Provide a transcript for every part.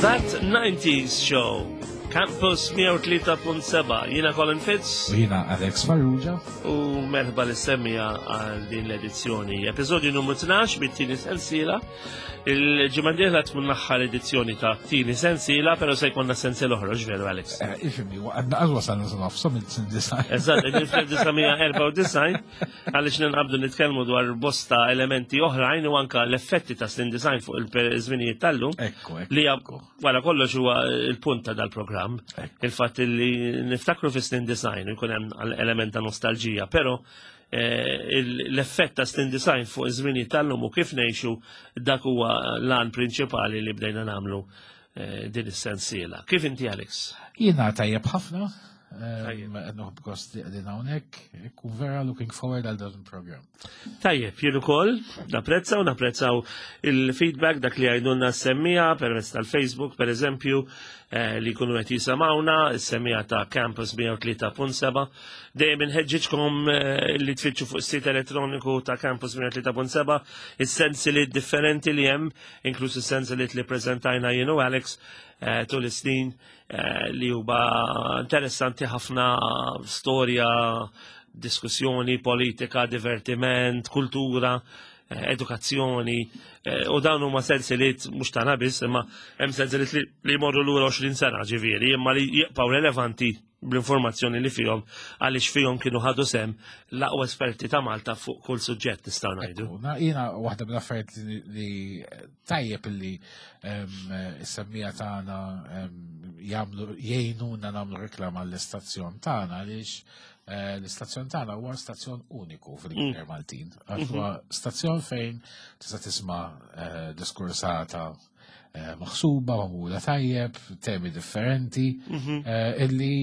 That 90s Show. Campus 103.7. Jiena Colin Fitz. U jiena Alex Farrugia. U merħba li semmija għal din l-edizzjoni. Episodju numru 12 bit-tieni sensiela. Il-ġimgħa dieħla tkun l-aħħar edizzjoni ta' tieni sensiela, però se jkollna sensiela oħra, veru Alex? Eh, ifimni, għadna għazwa sanna sa nofsom il-design. Eżatt, fl-1994 għaliex ninqabdu nitkellmu dwar bosta elementi oħrajn u anka l-effetti ta' snin design fuq il-żminijiet tal-lum. Li wara kollox huwa il-punt ta' dal-programm. Il-fatt li niftakru fi snin design jkun hemm element ta' nostalġija, però eh, l-effett ta' snin design fuq iż-żminijiet tal-lum u kif ngħixu dak huwa l-għan prinċipali li bdejna nagħmlu eh, din is-sensiela. Kif inti Alex? Jiena tajjeb ħafna, Nħobb gost li qegħdin hawnhekk, ikun vera looking forward għal dan il-programm. Tajjeb, jien ukoll napprezzaw, napprezzaw il-feedback dak li għajdunna s-semmija permezz tal-Facebook, per eżempju, eh, li jkunu qed jisamawna, s-semmija ta' Campus 103.7. Dejjem inħeġġiġkom eh, li tfittxu fuq is-sit elettroniku ta' Campus 103.7 is-sensiliet differenti li hemm, inkluż is-sensiliet li preżentajna jien u Alex eh, tul is-snin eh, li huwa interessanti ħafna storja, diskussjoni, politika, divertiment, kultura, eh, edukazzjoni, eh, u dawn huma sensiliet mhux tagħna biss, imma hemm sensiliet li jmorru lura 20 sena ġifieri, imma li jibqgħu relevanti bl-informazzjoni li fihom għaliex fihom kienu ħadu sem l-aqwa esperti ta' Malta fuq kull suġġett nistgħu ngħidu. Jiena waħda mill-affarijiet li tajjeb illi is-semmija tagħna jagħmlu jgħinuna nagħmlu reklam għall-istazzjon tagħna għaliex eh, l-istazzjon tagħna huwa stazzjon uniku fil-Gżejjer mm. Maltin. Għax huwa mhm. stazzjon fejn tista' tisma' eh, diskursata eh, maħsuba, magħmula tajjeb, temi differenti, mhm. illi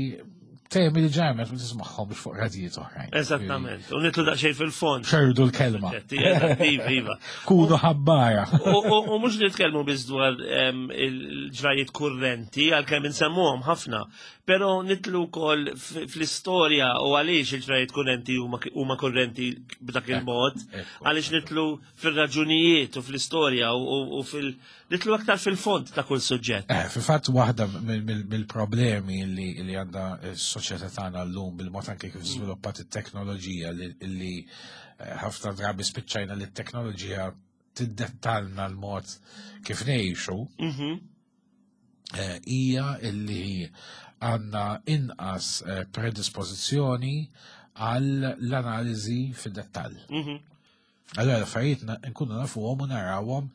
temi li ġarmet ma tismaħħom biex fuq radijiet oħrajn. Eżattament, u nitlu daqsxejn fil-fond. Xerdu l-kelma. Iva, iva. Kunu ħabbara. U mhux nitkellmu biss dwar il-ġrajiet kurrenti, għalkemm insemmuhom ħafna, però nitlu wkoll fl-istorja u għaliex il-ġrajiet kurrenti huma kurrenti b'dak il-mod, għaliex nitlu fil-raġunijiet u fl-istorja u fil- nitlu aktar fil-fond ta' kull suġġett. Eh, fil-fatt waħda mill-problemi li għandha s-soċjetà tagħna llum bil-mod anke kif żviluppat it-teknoloġija li eh, ħafna drabi spiċċajna li t-teknoloġija tiddettalna l-mod kif ngħixu. Mhm. Eh, hija illi għandna inqas predispożizzjoni għal l-analiżi fid-dettall. Mhm. Allora l-affarijiet nkunu nafuhom u narawhom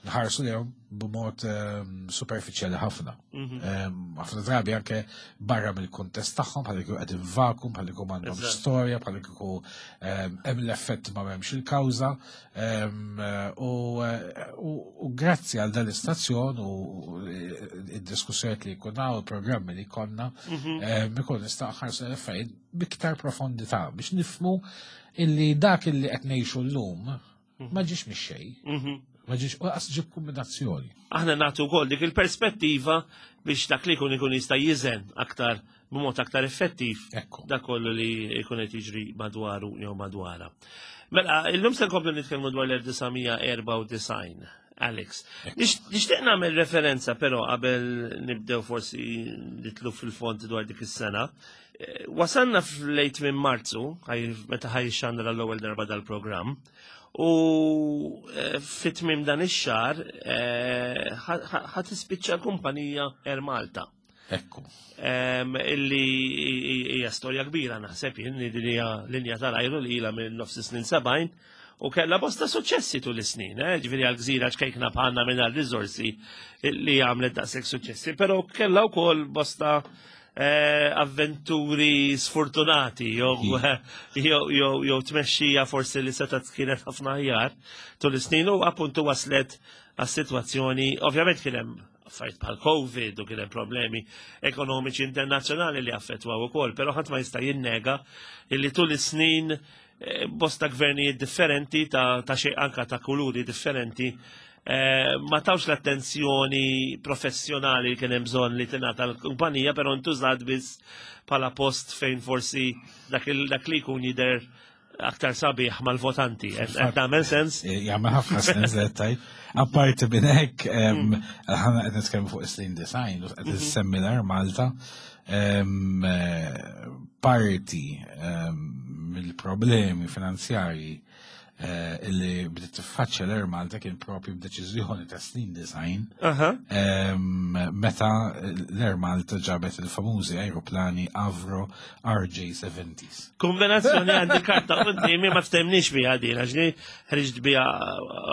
nħarsu lejhom b'mod ehm, superfiċjali ħafna. Mhm. Ehm, ħafna drabi anke barra mill-kuntest tagħhom bħal kieku qegħdin vakum, bħal kieku m'għandhom storja, bħal kieku ehm, hemm l-effett ma m'hemmx il-kawża. U grazzi għal dan l-istazzjon u id-diskussjonijiet li jkun hawn, il-programmi li jkollna, mhm. ikun nista' nħarsu l-affarijiet biktar profondità biex nifmu illi dak illi qed ngħixu llum mhm. ma ġiex mix-xejn. Mhm. Ma ġiex u qas ġib kombinazzjoni. Aħna nagħtu wkoll dik il-perspettiva biex dak li jkun ikun jista' jiżen aktar b'mod aktar effettiv dak kollu li jkun qed jiġri madwaru jew madwara. Mela, illum se nkomplu nitkellmu dwar l-1994. Alex. Nixtieq nagħmel referenza però qabel nibdew forsi nitlu fil-fond dwar dik is-sena. Eh, wasalna fl-lejt minn Marzu, meta ħaj xandra l-ewwel darba dal-programm, u eh, fit-tmim dan ix-xahar eh, ħa tispiċċa l-kumpanija Air Malta. Ekku. Illi hija storja kbira naħseb jien li din hija linja tal-ajru li ilha minn nofs snin 70 u kellha bosta suċċessi tul is-snin, eh? ġifieri għal gżira ċkejkna bħalna mingħajr riżorsi li għamlet daqshekk suċċessi, però kellha wkoll bosta eh, avventuri sfortunati jew jew tmexxija forsi li setgħet kienet ħafna aħjar tul is-snin u appuntu waslet għas-sitwazzjoni, ovvjament kien hemm affarijiet bħal Covid u kien hemm problemi ekonomiċi internazzjonali li affettwaw ukoll, però ħadd ma jista' jinnega illi tul is-snin eh, bosta gvernijiet differenti ta', ta xejn anka ta' kuluri differenti eh, ma tawx l-attenzjoni professjonali li kien hemm bżonn li tingħata l-kumpanija, però ntużat biss bħala post fejn forsi dak li jkun jidher aktar sabiħ mal-votanti. Qed tagħmel sens? Eh, jagħmel ħafna sens li tajt. Apparti minn hekk, ħana qed nitkellmu fuq is-snin design u qed issemmi l Malta eh, parti mill-problemi finanzjarji eh, illi bdiet tiffaċċja l-Air Malta kien propju b'deċiżjoni ta' snin design. Meta l-Air Malta ġabet il-famużi aeroplani Avro RJ70s. Kombinazzjoni għandi karta qudiemi ma ftemniex biha din għax li ħriġt biha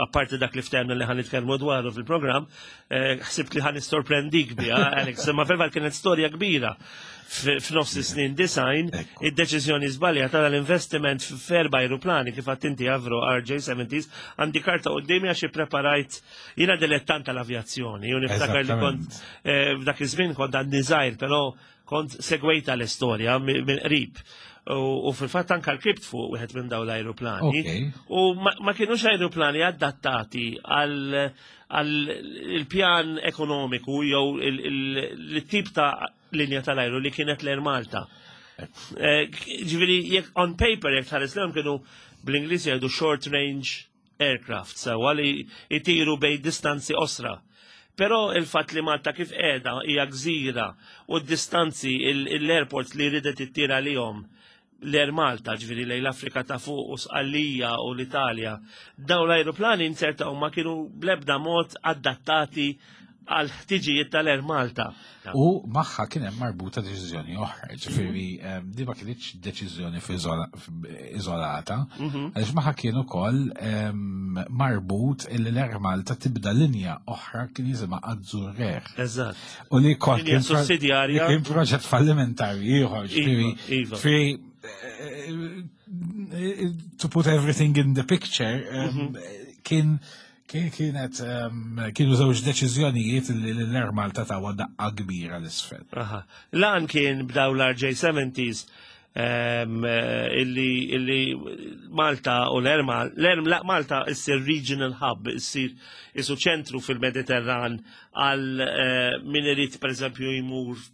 apparti dak li ftemna li ħan nitkellmu dwaru fil-programm, eh, ħsibt li ħan nissorprendik biha, Alex, imma fil-fatt kienet storja kbira f'nofs is-snin design, id-deċiżjoni żbaljata tal-investiment f'erba' aeroplani kif għadt inti Avro RJ70s, għandi karta qudiemi għax ippreparajt jiena dilettant tal-avjazzjoni u niftakar li kont eh, f'dak iż-żmien kont għandi żgħir, però kont segwejta l-istorja minn qrib. U fil-fatt anka l-kript fuq wieħed minn dawn l-ajruplani. U ma kienux ajruplani adattati għal il-pjan ekonomiku jew il-tip ta' linja tal-ajru li kienet l-Air Malta. Eh, ġifieri jekk on paper jekk tħares lehom kienu bl-Ingliż jgħidu short range aircraft sewa li jtiru bej distanzi osra. Però il-fatt li Malta kif qiegħda hija gżira u d-distanzi l-airports li ridet ittira lihom l-Air Malta, ġifieri lejn l-Afrika ta' fuq u Sqallija u l-Italja, dawn l-ajruplani inzertaw ma kienu bl-ebda mod adattati għal ħtiġijiet tal-Air Malta. U magħha kien hemm marbuta deċiżjoni oħra, ġifieri ehm, di ma kinitx deċiżjoni iżolata, mhm. għaliex magħha kien ukoll ehm, marbut illi l-Air Malta tibda linja oħra kien jisimha Azzur Air. Eżatt. U li kont kien sussidjarja. Kien proġett fallimentari ieħor, ġifieri. Iva, iva. Eh, eh, to put everything in the picture, ehm, mhm. kien Kienet ehm, kienu żewġ deċiżjonijiet li l-Air Malta tawa daqqa kbira l-isfel. Lan kien b'daw l-RJ70s ehm, illi, illi Malta u l-Air Malta, Malta issir regional hub, issir isu ċentru fil-Mediterran għal eh, min irid pereżempju jmur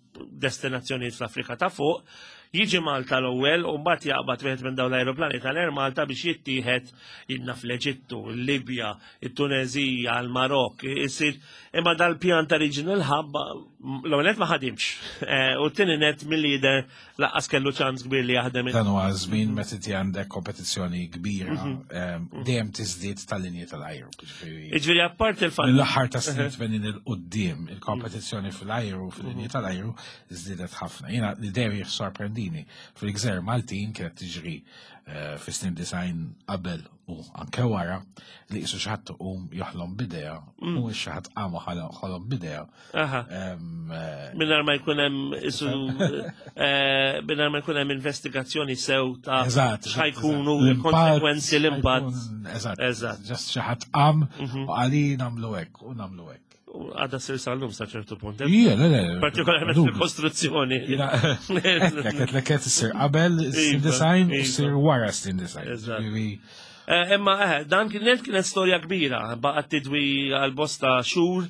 destinazzjonijiet fl-Afrika ta' fuq, jiġi Malta l-ewwel u mbagħad jaqbad wieħed minn dawn l-ajruplani tal-Air Malta biex jittieħed jidna fl-Eġittu, il-Libja, it-Tunezija, l-Marok, isir imma dal-pjan ta' regional hub l-ewwel net ma ħadimx. Eh, u t-tieni net milli jidher laqqas kellu ċans kbir li jaħdem. Dan huwa żmien meta inti għandek kompetizzjoni kbira mhm. ehm, dejjem tiżdied tal-linji tal-ajru. Jiġifieri apparti il-fatt. L-aħħar ta' snin 80 il qudiem il-kompetizzjoni fil-ajru fil-linji mhm. tal-ajru żdiedet ħafna. Jiena li dejjem jissorprendini fil-gżer Maltin kienet tiġri eh, fis-snin design qabel u anke wara li qisu xi ħadd iqum joħlom bidea mm. u xi ħadd qam ħolom bidea. Eh, Mingħajr ma jkun hemm isu eh, mingħajr ma jkun hemm investigazzjoni sew ta' x'ħajkunu l-konsekwenzi l-impatt. Eżatt. Eżatt. Ġast xi ħadd qam mhm. u għali nagħmlu hekk u nagħmlu hekk. Għada sir sal-lum sa ċertu punt. Ija, le, le. Partikolarment fil-kostruzzjoni. Leket, leket, sir qabel sir design u sir wara sir design. Eh, imma eh, dan kienet kienet storja kbira, baqgħet tidwi għal bosta xhur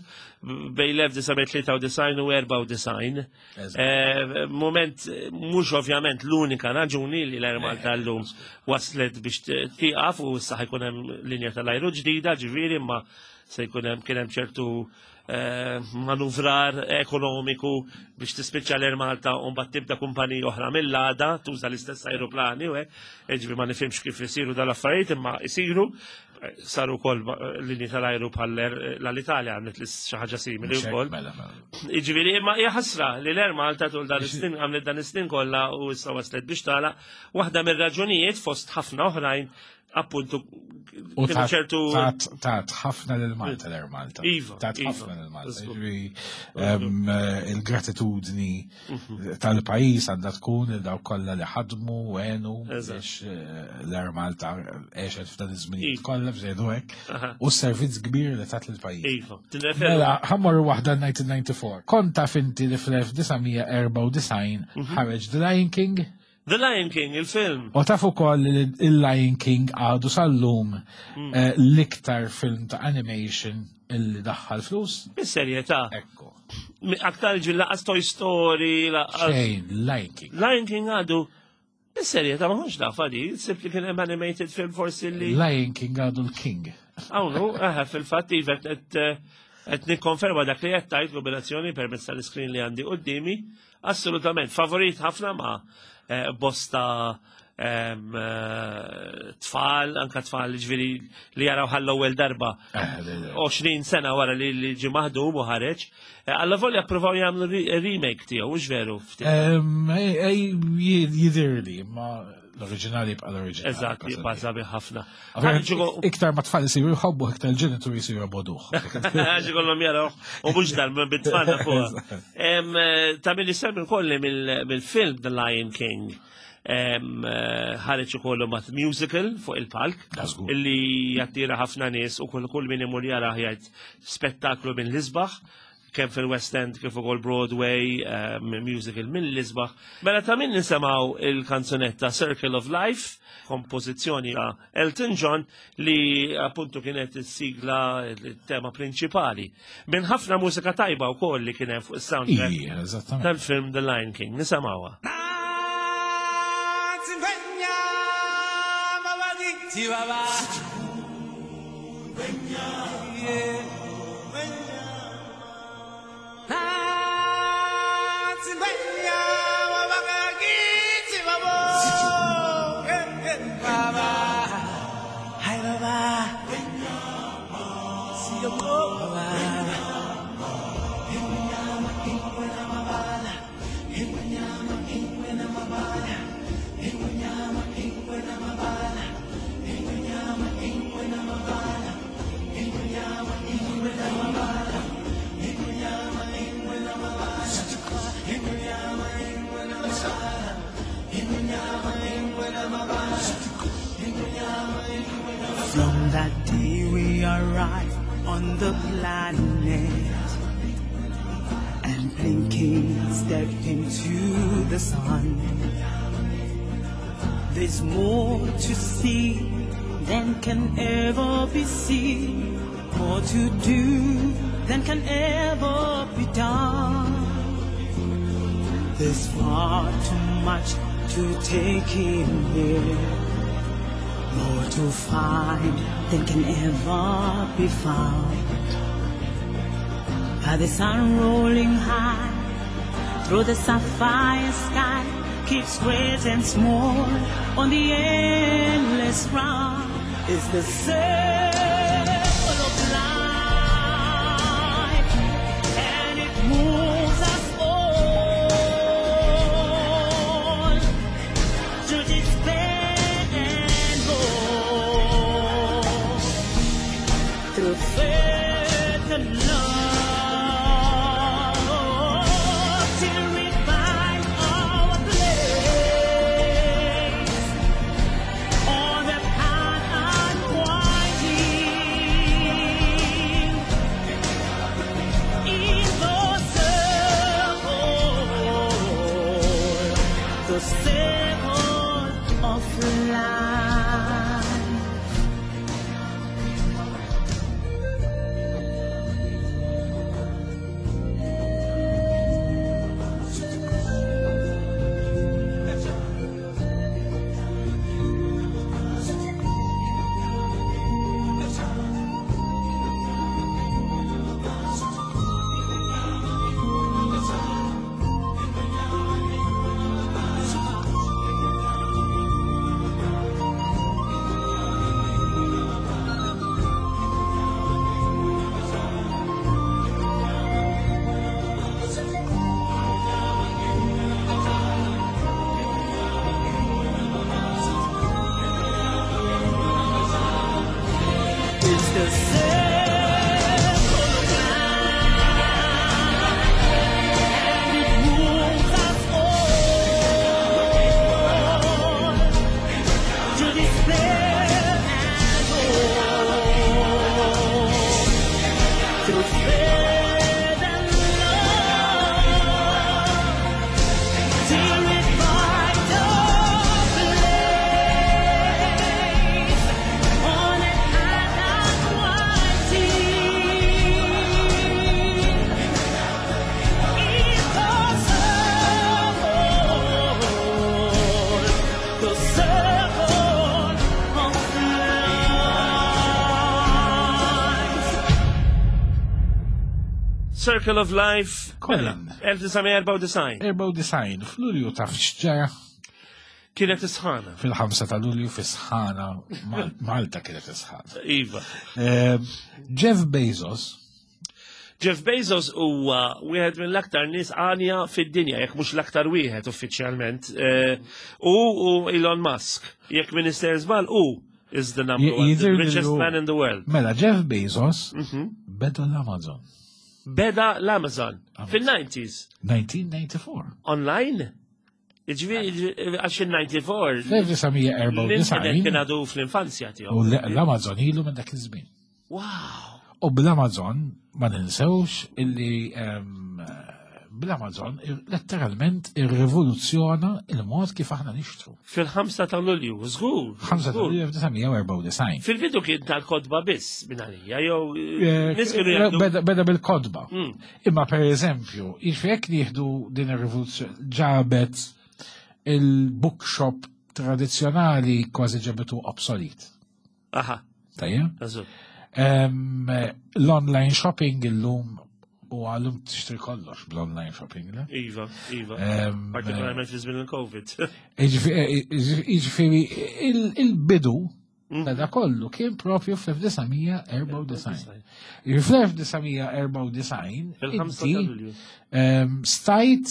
bej l-1993 u 94. Eh, moment mhux ovvjament l-unika raġuni li l-Air Malta llum waslet biex tieqaf u issa ħajkun hemm linja tal-ajru ġdida, ġifieri imma se jkun hemm kien hemm ċertu eh, manuvrar ekonomiku biex tispiċċa l-Air Malta u mbagħad tibda kumpanija oħra mill-għada tuża l-istess aeroplani u hekk, ġifieri ma nifhimx kif isiru dal-affarijiet imma isiru saru wkoll linji tal-ajru bħal l-Italja għamlet li xi ħaġa simili wkoll. Mela, mela. Jiġifieri imma hija ħasra li l-Air Malta tul dan is-snin għamlet dan is-snin kollha u issa waslet biex tagħlaq waħda mir-raġunijiet fost ħafna oħrajn appuntu U ċertu tat ħafna lil Malta l Malta. Iva. Tat iva. ħafna lil Malta. Eh, il-gratitudni mhm. tal-pajjiż għandha tkun il dawk kollha li ħadmu u għenu biex eh, l-Air Malta għexet f'dan iż-żminijiet iva. kollha bżejdu hekk. U s-servizz kbir li tat lill-pajjiż. Iva. Mela, ħammorru waħda 1994. Konta finti li fl-1994 mhm. ħareġ The Lion King? The Lion King, il-film. U taf ukoll li il-Lion King għadu sal-lum mm. eh, l-iktar film ta' animation illi daħħal flus. Bis-serjetà. Ekku. Aktar ġil laqas Toy Story, laqas. Xejn, Lion King. Lion King għadu. Is-serjetà ma kontx nafha di, sibt li kien hemm animated film forsi li. Lion King għadu l-King. Hawnhu, eħe, fil-fatt iva qed qed nikkonferma dak li qed tgħid kombinazzjoni permezz tal-iskrin li għandi quddiemi. Assolutament, favorit ħafna ma' bosta tfal, anka tfal ġifieri li jaraw ħall-ewwel darba 20 sena wara li ġie maħdum u ħareġ. Alla volja appruvaw jagħmlu remake tiegħu, mhux veru? Jidhirli, ma l-oriġinali jibqa' l-oriġinali. Eżatt, jibqa' sabiħ ħafna. Iktar ma tfal isiru jħobbu, iktar il-ġenituri jisiru jobogħduh. Għax ikollhom jaraw u mhux dal bit-tfal fuq. Ta' min isemmi wkoll mill-film The Lion King ħareġ ukoll mat musical fuq il-palk illi jattira ħafna nies u kull min imur jara jgħid spettaklu minn l-isbaħ, kemm fil-West End kif ukoll Broadway, musical minn l-isbaħ. Mela ta' min nisimgħu il-kanzunetta Circle of Life, kompożizzjoni ta' Elton John li appuntu kienet is-sigla, il-tema prinċipali. Minn ħafna mużika tajba wkoll li kien hemm fuq is-soundtrack Ija, eżattament. tal-film The Lion King. Nisimgħuha. From that day we arrived on the planet and blinking stepped into the sun. There's more to see than can ever be seen, more to do than can ever be done. There's far too much to take in here, more to find than can ever be found. By the sun rolling high through the sapphire sky, keeps great and small on the endless round. Is the circle of life, and it moves us all to despair and hope, through faith and love, till we find our place on the path unwinding. Circle of Life. Colin. 1994. 94, f'Lulju taf x'ġara Kienet isħana. fil-5 ta' Lulju fi sħana, Malta kienet isħana. Iva. Jeff Bezos, Jeff Bezos huwa wieħed mill-aktar nies għanja fid-dinja, jekk mhux l-aktar wieħed uffiċjalment. U Elon Musk, jekk Minister żball hu is the number one, the richest man in the world. Mela, Jeff Bezos beda l-Amazon. Beda l-Amazon fil-90s. 1994. Online? Ġifieri għax il-94. L-1994. L-internet kien għadu fl-infanzja tiegħu. U l-Amazon ilu minn dak iż-żmien. Wow! U bl-Amazon ma ninsewx illi bl-Amazon letteralment irrivoluzzjona il-mod kif aħna nixtru. Fil-5 ta' Lulju, żgur. 5 ta' Lulju 1994. Fil-bidu kien tal-kodba biss minn għalija, jew nies kienu jgħidu. Beda bil-kodba. Imma per eżempju, jiġifieri jekk nieħdu din ir-rivoluzzjoni ġabet il-bookshop tradizzjonali kważi ġabetu obsolet. Aha. Tajjeb? L-online shopping illum u għallum tixtri kollox bl-online shopping, le? Iva, iva. Partikolarment fi żmien il-Covid. Jiġifieri il-bidu ta' da kollu kien propju fl-1994. Fl-1994 Fil-5 ta' Lulju. Stajt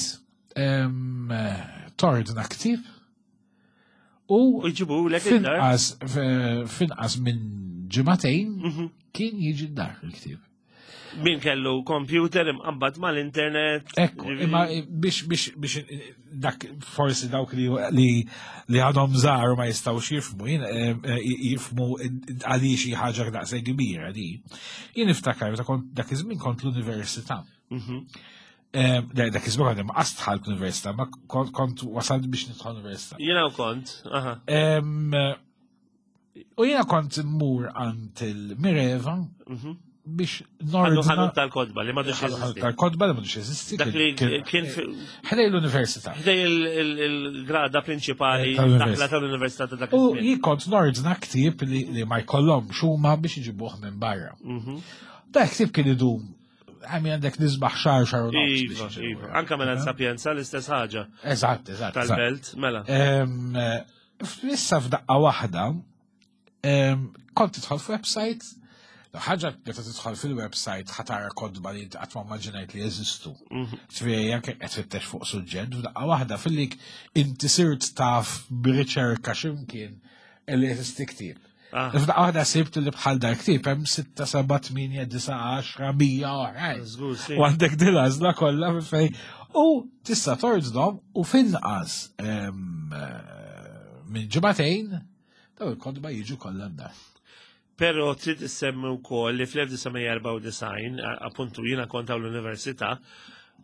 tordna ktieb u jġibu lek id-dar. Finqas minn ġimagħtejn kien jiġi d-dar il-ktieb. Min kellu computer imqabbad mal-internet. Ekku, imma biex biex biex dak forsi dawk li li li għadhom żgħar ma jistgħux jifhmu, jifhmu għaliex xi ħaġa daqshekk kbira di. Jien niftakar meta kont dak iż-żmien kont l-università. Dak iż-żmien kont ma dħalt l-università, ma kont wasalt biex nidħol l-università. Jiena kont, aha. U jiena kont immur għand il-Mireva biex nordna. Ħanut tal-kodba li m'għadux jeżisti. Tal-kodba li m'għadux jeżisti. Dak li kien ħdej l-università. Ħdej il-grada prinċipali daħla tal-università ta' dak. U jien kont nordna ktieb li ma jkollhomx huma biex iġibuh minn barra. Dak ktieb kien idum għami għandek nisbaħ xar xar u nofs. Iva, iva. Anka mela Sapienza l-istess ħaġa. Eżatt, eżatt. Tal-belt, mela. Issa f'daqqa waħda, kont tidħol f'website, ħaġa meta tidħol fil-website ħa tara kodba li qatt ma immaġinajt li jeżistu. Ġifieri anke qed tfittex fuq suġġett, f'daqqa waħda filli inti sirt taf b'riċerka x'imkien li jeżisti ktieb. F'daqqa waħda sibt li bħal dar ktieb hemm 6, 7, 8, 9, 10, 100 oħrajn. U għandek din l-għażla kollha fejn u tista' tordnhom u finqas minn ġimagħtejn daw il-kodba jiġu kollha d-dar. Pero trid issemmi wkoll li fl-1994, appuntu jiena kont l-università,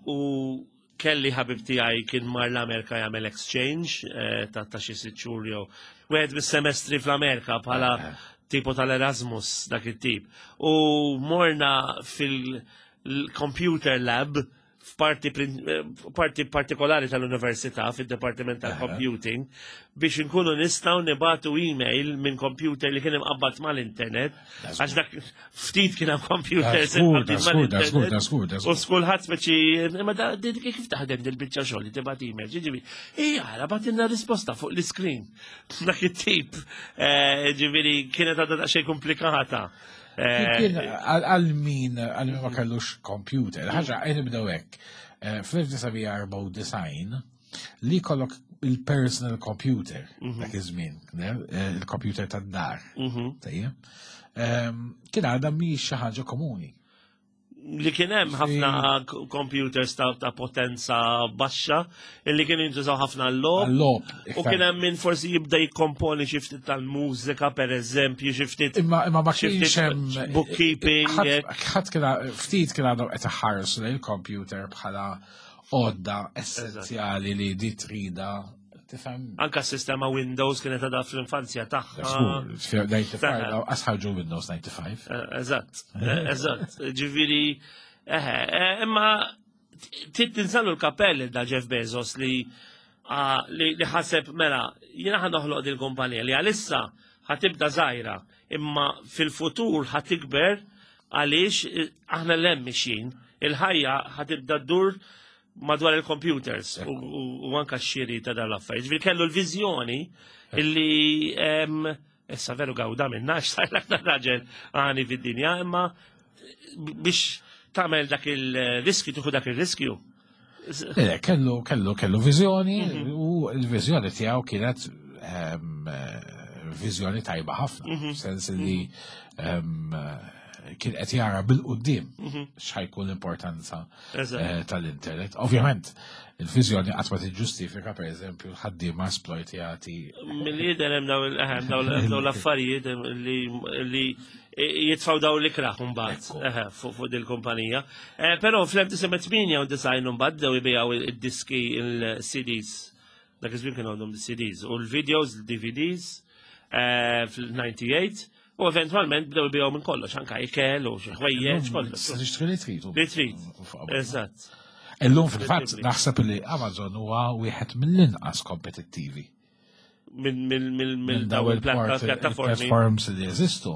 u kelli ħabib tiegħi kien mar l-Amerika jagħmel exchange ta' xi sitt xhur jew wieħed mis-semestri fl-Amerika bħala tipo tal-Erasmus dak it-tip. U morna fil-computer lab f'parti parti partikolari tal-università fid-Dipartiment tal-Computing biex inkunu nistgħu nibatu email minn computer li kien imqabbad mal-internet għax dak ftit kien hemm computers mal-internet. U skulħadd speċi imma da kif taħdem dil-biċċa xogħol li tibgħat email, ġifieri ija ara bagħtilna risposta fuq l-iskrin. Dak it-tip, ġifieri kienet għadha daqsxejn komplikata. Kien għal min għal min ma kellux computer, ħaġa qed nibdew hekk. Fl-1994 li kollok il-personal computer dak iż-żmien, il-computer tad-dar. Tajjeb. Kien għadha mhix xi ħaġa komuni. Li kien hemm ħafna computers ta' potenza baxxa illi kienu jintużaw ħafna l-logħob. L-logħob. U kien hemm min forsi jibda jikkomponi xi ftit tal-mużika pereżempju, xi ftit. Imma ma kienx hemm bookkeeping. Ħadd kien ftit kien għadhom qed iħarsu lejn il-computer bħala għodda essenzjali li di trida. Tifhem? Anka s-sistema Windows kienet għadha fl-infanzja tagħha. Żgur, 95, asħarġu Windows 95. Eżatt, eżatt. Ġifieri, imma tinżallu l-kappell da Jeff Bezos li li ħaseb mela jiena ħa noħloq din kumpanija li għalissa ħa tibda żgħira, imma fil-futur ħa tikber għaliex aħna l-hemm mixjin. il-ħajja ħa tibda ddur madwar il-computers u anka x-xiri ta' dan l-affarijiet. Ġifieri kellu l-viżjoni illi issa veru gawda minna sar l-aktar raġel għani fid-dinja, imma biex tagħmel dak il-riskju, tieħu dak il-riskju. Le, kellu kellu kellu viżjoni u l-viżjoni tiegħu kienet viżjoni tajba ħafna, sens li kien qed jara bil-quddiem x'ħajkun l-importanza tal-internet. Ovvjament, il-viżjoni qatt ma tiġġustifika pereżempju l-ħaddiema esploitjati. Mill-jidher hemm dawn l-affarijiet li jitfaw daw l-ikraħ mbagħad fuq dil-kumpanija. Però fl-1998 mbagħad bdew jbigħu id-diski il-CDs. Dak iż-żmien kienu għandhom CDs u l-videos, l-DVDs fil-98 u eventwalment bdew jbigħu minn kollox, anka ikel u xi ħwejjeġ kollox. Tixtri li trid. Li trid. Eżatt. Illum fil-fatt naħseb li Amazon huwa wieħed mill-inqas kompetittivi. Minn daw il-pjattaformi. Platforms li jeżistu.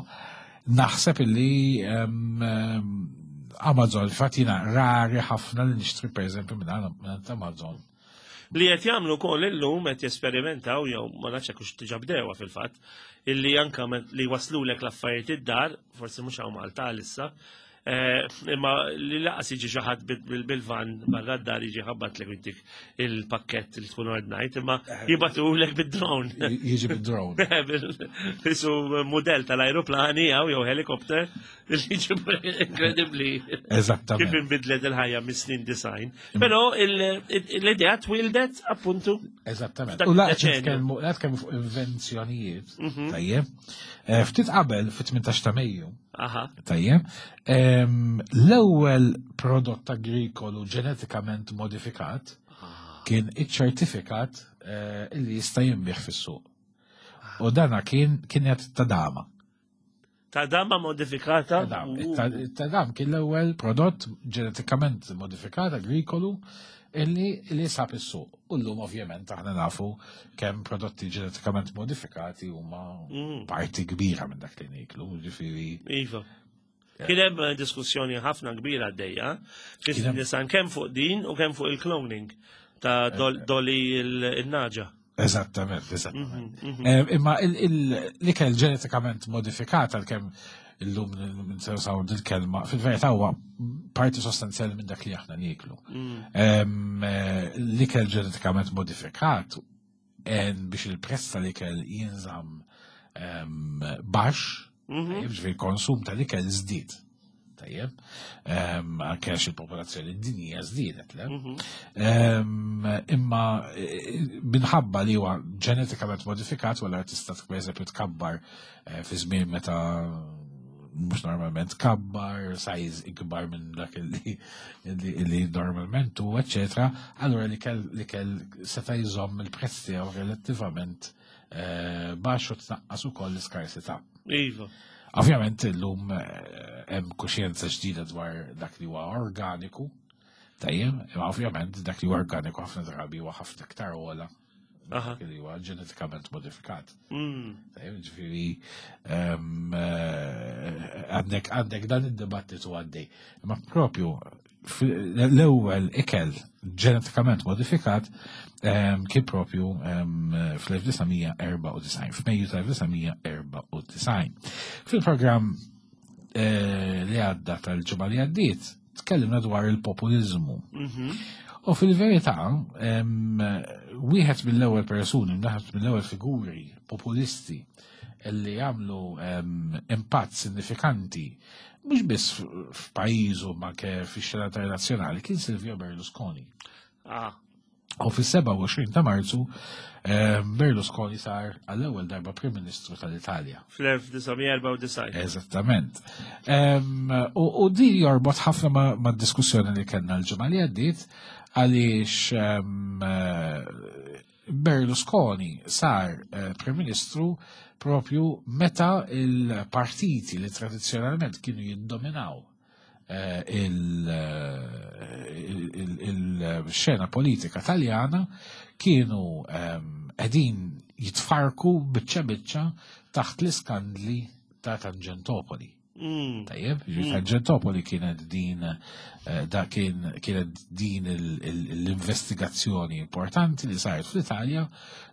Naħseb li Amazon, fatt jiena rari ħafna li nixtri pereżempju minn Amazon. Li qed jagħmlu wkoll illum qed jesperimentaw jew ma nafx hekk hux diġà bdewha fil-fatt, illi anka li waslulek l-affarijiet id-dar, forsi mhux hawn Malta għalissa, imma li laqas jiġi xi ħadd bil-van barra d-dar jiġi ħabbatlek intik il-pakkett li tkun ordnajt, imma jibatulek bid-drone. Jiġi bid-drone. Isu modell tal-ajruplani jew helikopter li jiġi inkredibbli. Eżattament. Kif inbidlet il-ħajja mis-snin design. Però l-idea twildet appuntu. Eżattament. U laqgħet nitkellmu laqgħet fuq invenzjonijiet, tajjeb. Ftit qabel fit-18 ta' Mejju. Tajjeb. L-ewwel prodott agrikolu ġenetikament modifikat kien iċ-ċertifikat li jista' jinbiegħ fis-suq. U dana kien kienet tadama. Tadama modifikata? Tadam kien l-ewwel prodott ġenetikament modifikat agrikolu illi li sab is-suq. U llum ovvjament aħna nafu kemm prodotti ġenetikament modifikati huma parti kbira minn dak li niklu, ġifieri. Iva. Kien hemm diskussjoni ħafna kbira għaddejja, fis-nisan kemm fuq din u kemm fuq il-cloning ta' Dolly il-naġa. Eżattament, eżattament. Imma l-ikel ġenetikament modifikat għalkemm illum ninsew dil-kelma, fil-verità huwa parti sostanzjali minn dak li aħna nieklu. L-ikel ġenetikament modifikat biex il-prezz tal-ikel jinżamm baxx, ġifieri konsum tal-ikel żdied. Tajjeb, anke għax il-popolazzjoni dinjija żdiedet, le? Imma minħabba li huwa ġenetikament modifikat, wara tista' pereżempju tkabbar fi żmien meta mhux normalment tkabbar, size ikbar minn dak li normalment huwa, eċetera, allura li kell seta' jżomm il-prezz tiegħu relattivament baxx u tnaqqas ukoll l-iskarsità. Iva. Ovvjament illum hemm kuxjenza ġdida dwar dak li huwa organiku, tajjeb, imma ovvjament dak li huwa organiku ħafna drabi huwa ħafna iktar ogħla dak li huwa ġenetikament modifikat. Tajjeb, ġifieri għandek dan id-dibattitu għaddej. Imma propju l-ewwel ikel ġenetikament modifikat kien propju fl-1994, f'Mejju tal-1994. Fil-programm li għadda tal-ġimgħa li għaddiet, tkellimna dwar il-populizmu. U fil-verità, wieħed mill-ewwel persuni, wieħed mill-ewwel figuri populisti li għamlu impatt sinifikanti mhux biss f'pajjiżu ma anke fix-xena internazzjonali kien Silvio Berlusconi. U fis-27 ta' Marzu Berlusconi sar għall-ewwel darba Prim Ministru tal-Italja. Fl-1994. Eżattament. U di jorbot ħafna ma' diskussjoni li kellna l-ġimgħa li għaddiet għaliex Berlusconi sar Prim Ministru propju meta il-partiti li tradizzjonalment kienu jiddominaw il-xena politika taljana kienu qegħdin jitfarku biċċa biċċa taħt l-iskandli ta' Tangentopoli. Tajjeb, ġifieri Tangentopoli kienet din eh, da kien kienet din l-investigazzjoni importanti li saret fl-Italja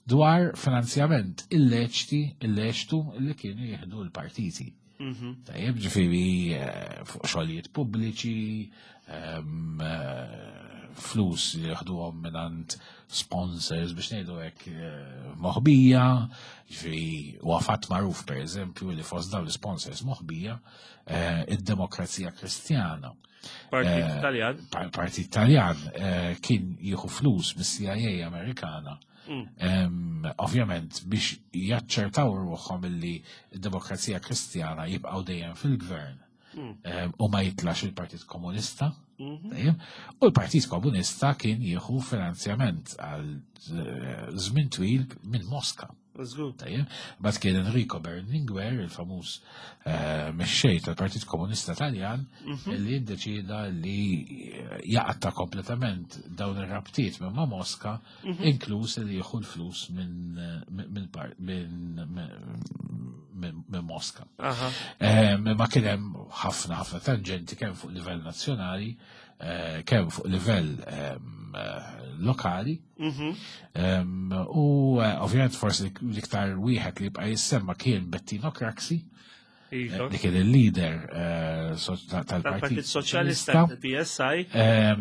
dwar finanzjament illeċti, illeċtu li kienu jieħdu l-partiti. Tajjeb, ġifieri eh, fuq xogħlijiet pubbliċi, ehm, eh, flus li jieħduhom mingħand sponsors biex ngħidu hekk eh, moħbija, ġifieri huwa fatt magħruf pereżempju li fost dawn l-sponsors moħbija id-Demokrazija Kristjana. Partit Taljan. Partit Taljan kien jieħu flus mis-CIA Amerikana. Ovvjament biex jaċċertaw ruħhom illi d-Demokrazija Kristjana jibqgħu dejjem fil-gvern u ma jitlax il-Partit Komunista. U l-Partit Komunista kien jieħu finanzjament għal eh, żmien twil minn Moska. Tajjeb, Bat kien Enrico Berlinguer, il-famuż eh, mexxej tal-Partit Komunista Taljan, mhm. li ddeċida li eh, jaqta kompletament dawn ir-rabtiet minn ma' Moska, mhm. inkluż li jieħu l-flus minn minn Moska. Eh, ma kien hemm ħafna ħafna tangenti kemm fuq livell nazzjonali, kemm fuq livell lokali. Mhm. U eh, ovvjament forsi l-iktar wieħed li jibqa' jissemma kien Bettino Craxi. Iva. Li kien il-leader eh, tal-Partit Soċjalista, PSI,